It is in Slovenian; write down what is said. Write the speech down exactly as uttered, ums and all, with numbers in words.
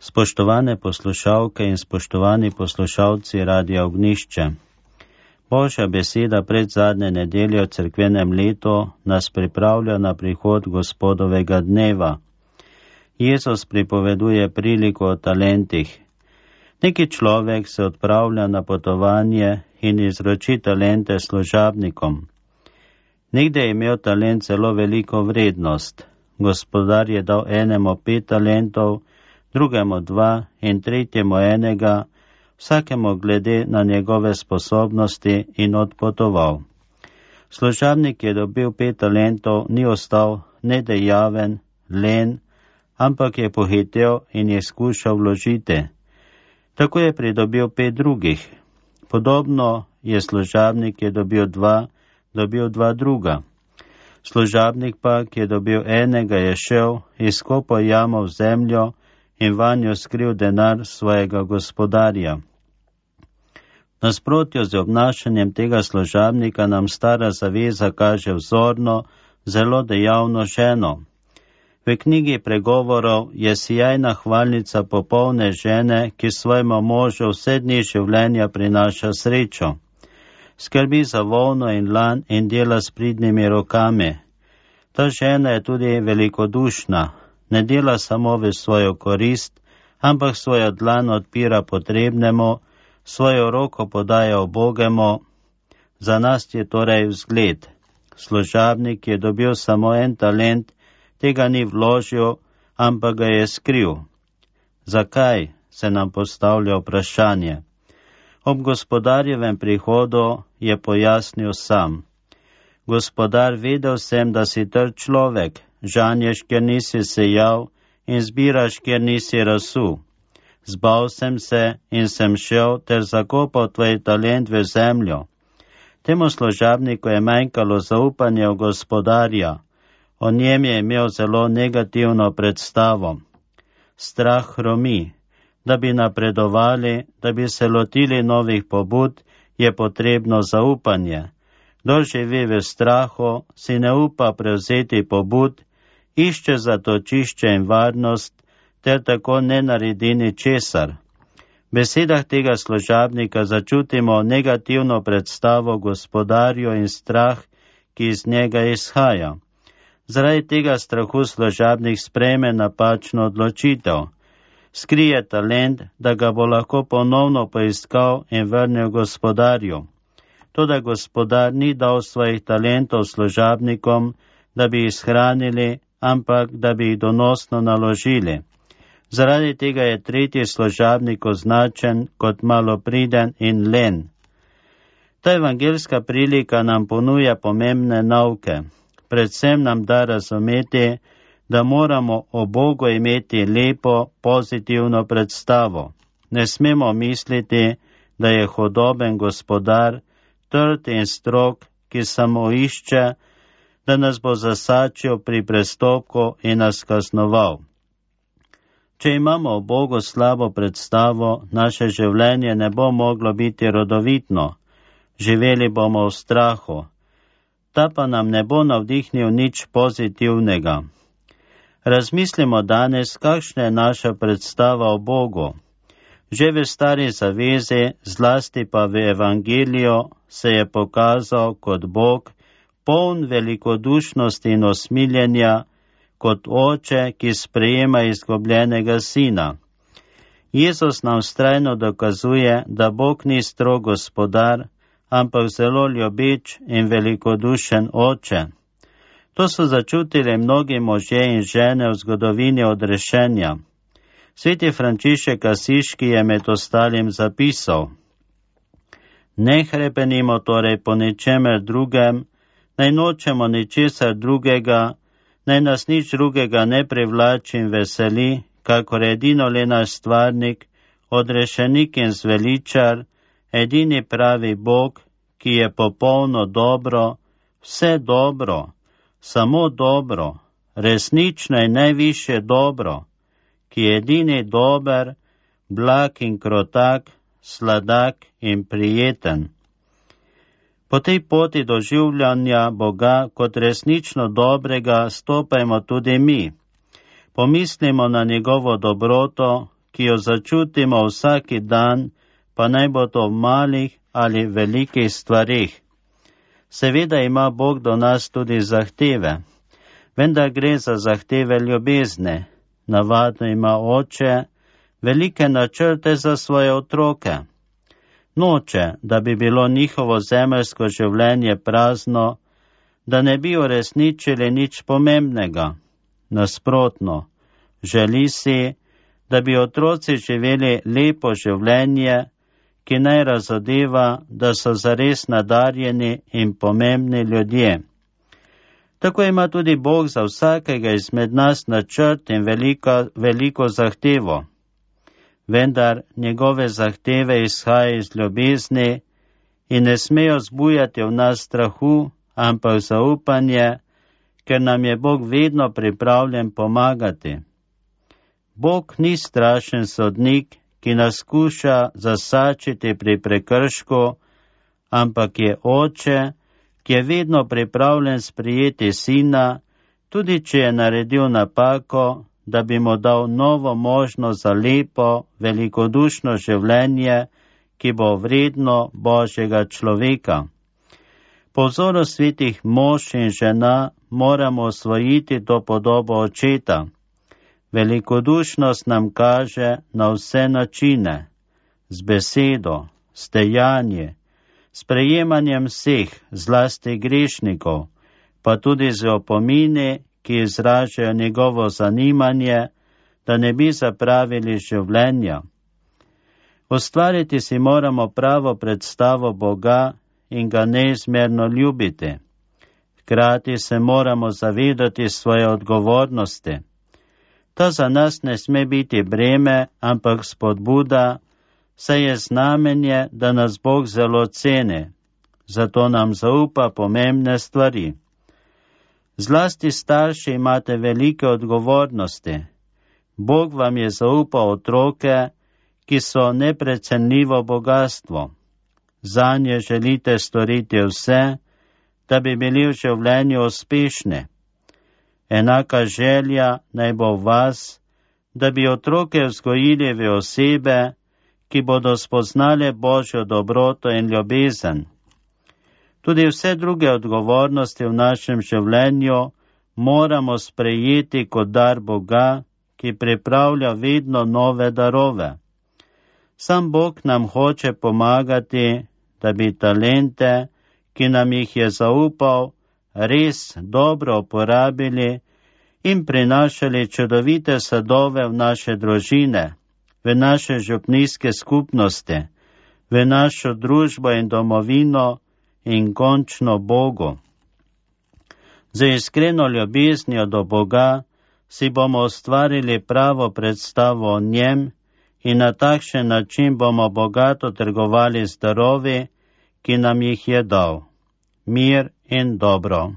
Spoštovane poslušalke in spoštovani poslušalci Radia Ognjišče. Božja beseda pred zadnje nedelje v cerkvenem letu nas pripravlja na prihod Gospodovega dneva. Jezus pripoveduje priliko o talentih. Neki človek se odpravlja na potovanje in izroči talente služabnikom. Nekde je imel talent zelo veliko vrednost. Gospodar je dal enemu pet talentov, drugemu dva in tretjemu enega, vsakemu glede na njegove sposobnosti in odpotoval. Služabnik je dobil pet talentov, ni ostal nedejaven, len, ampak je pohitel in je skušal vložiti. Tako je pridobil pet drugih. Podobno je služabnik, ki je dobil dva, dobil dva druga. Služabnik pa, ki je dobil enega, je šel, izkopal jamo v zemljo in vanjo skril denar svojega gospodarja. Nasprotjo z obnašanjem tega služabnika nam stara zaveza kaže vzorno, zelo dejavno ženo. V knjigi pregovorov je sijajna hvalnica popolne žene, ki svojemu možu vse dni življenja prinaša srečo. Skrbi za volno in lan in dela s pridnimi rokami. Ta žena je tudi velikodušna. Ne dela samo v svojo korist, ampak svojo dlan odpira potrebnemu, svojo roko podaja ubogemu. Za nas je torej vzgled. Služabnik je dobil samo en talent, tega ni vložil, ampak ga je skril. Zakaj, se nam postavlja vprašanje. Ob gospodarjevem prihodu je pojasnil sam. Gospodar, vedel sem, da si trd človek, žanješ, ker nisi sejal in zbiraš, ker nisi rasul. Zbal sem se in sem šel ter zakopal tvoj talent v zemljo. Temu služabniku je manjkalo zaupanje v gospodarja. O njem je imel zelo negativno predstavo. Strah hromi. Da bi napredovali, da bi se lotili novih pobud, je potrebno zaupanje. Kdor živi v strahu, si ne upa prevzeti pobud, išče zatočišče in varnost, ter tako ne naredi ničesar. V besedah tega služabnika začutimo negativno predstavo gospodarju in strah, ki iz njega izhaja. Zaradi tega strahu služabnik sprejme napačno odločitev. Skrije talent, da ga bo lahko ponovno poiskal in vrnil gospodarju. Toda gospodar ni dal svojih talentov služabnikom, da bi jih shranili, ampak da bi jih donosno naložili. Zaradi tega je tretji služabnik označen kot malopriden in len. Ta evangeljska prilika nam ponuja pomembne nauke. Predvsem nam da razumeti, da moramo o Bogu imeti lepo, pozitivno predstavo. Ne smemo misliti, da je hodoben gospodar, trd in strog, ki samo išče, da nas bo zasačil pri prestopku in nas kaznoval. Če imamo o Bogu slabo predstavo, naše življenje ne bo moglo biti rodovitno. Živeli bomo v strahu. Ta pa nam ne bo navdihnil nič pozitivnega. Razmislimo danes, kakšna je naša predstava o Bogu. Že v stari zavezi, zlasti pa v evangeliju, se je pokazal kot Bog, poln velikodušnosti in osmiljenja, kot oče, ki sprejema izgubljenega sina. Jezus nam vztrajno dokazuje, da Bog ni strog gospodar, ampak zelo ljubeč in velikodušen oče. To so začutili mnogi možje in žene v zgodovini odrešenja. Sveti Frančišek Asiški je med ostalim zapisal: Ne hrepenimo torej po ničemer drugem, naj nočemo ničesar drugega, naj nas nič drugega ne privlači in veseli, kakor edino le naš stvarnik, odrešenik in zveličar, edini pravi Bog, ki je popolno dobro, vse dobro, samo dobro, resnično in najvišje dobro, ki je edini dober, blag in krotak, sladak in prijeten. Po tej poti doživljanja Boga kot resnično dobrega stopajmo tudi mi. Pomislimo na njegovo dobroto, ki jo začutimo vsaki dan, pa naj bo to v malih ali velikih stvarih. Seveda ima Bog do nas tudi zahteve, vendar gre za zahteve ljubezne. Navadno ima oče velike načrte za svoje otroke. Noče, da bi bilo njihovo zemeljsko življenje prazno, da ne bi uresničili nič pomembnega. Nasprotno, želi si, da bi otroci živeli lepo življenje, ki naj razodeva, da so zares nadarjeni in pomembni ljudje. Tako ima tudi Bog za vsakega izmed nas načrt in veliko, veliko zahtevo. Vendar njegove zahteve izhajajo iz ljubezni in ne smejo zbujati v nas strahu, ampak zaupanje, ker nam je Bog vedno pripravljen pomagati. Bog ni strašen sodnik, ki nas skuša zasačiti pri prekršku, ampak je oče, ki je vedno pripravljen sprijeti sina, tudi če je naredil napako, da bi mu dal novo možnost za lepo, velikodušno življenje, ki bo vredno Božjega človeka. Po vzoru svetih mož in žena moramo osvojiti to podobo očeta. Velikodušnost nam kaže na vse načine, z besedo, s dejanje, s prejemanjem vseh, zlasti grešnikov, pa tudi z opomini, ki izražajo njegovo zanimanje, da ne bi zapravili življenja. Ustvariti si moramo pravo predstavo Boga in ga neizmerno ljubiti. Hkrati se moramo zavedati svoje odgovornosti. Ta za nas ne sme biti breme, ampak spodbuda, saj je znamenje, da nas Bog zelo ceni, zato nam zaupa pomembne stvari. Zlasti starši imate velike odgovornosti. Bog vam je zaupal otroke, ki so neprecenljivo bogatstvo. Zanje želite storiti vse, da bi bili v življenju uspešni. Enaka želja naj bo v vas, da bi otroke vzgojili v osebe, ki bodo spoznale Božjo dobroto in ljubezen. Tudi vse druge odgovornosti v našem življenju moramo sprejeti kot dar Boga, ki pripravlja vedno nove darove. Sam Bog nam hoče pomagati, da bi talente, ki nam jih je zaupal, res dobro uporabili in prinašali čudovite sadove v naše družine, v naše župnijske skupnosti, v našo družbo in domovino in končno Bogu. Z iskreno ljubeznijo do Boga si bomo ustvarili pravo predstavo o njem in na takšen način bomo bogato trgovali z darovi, ki nam jih je dal. Mir in dobro.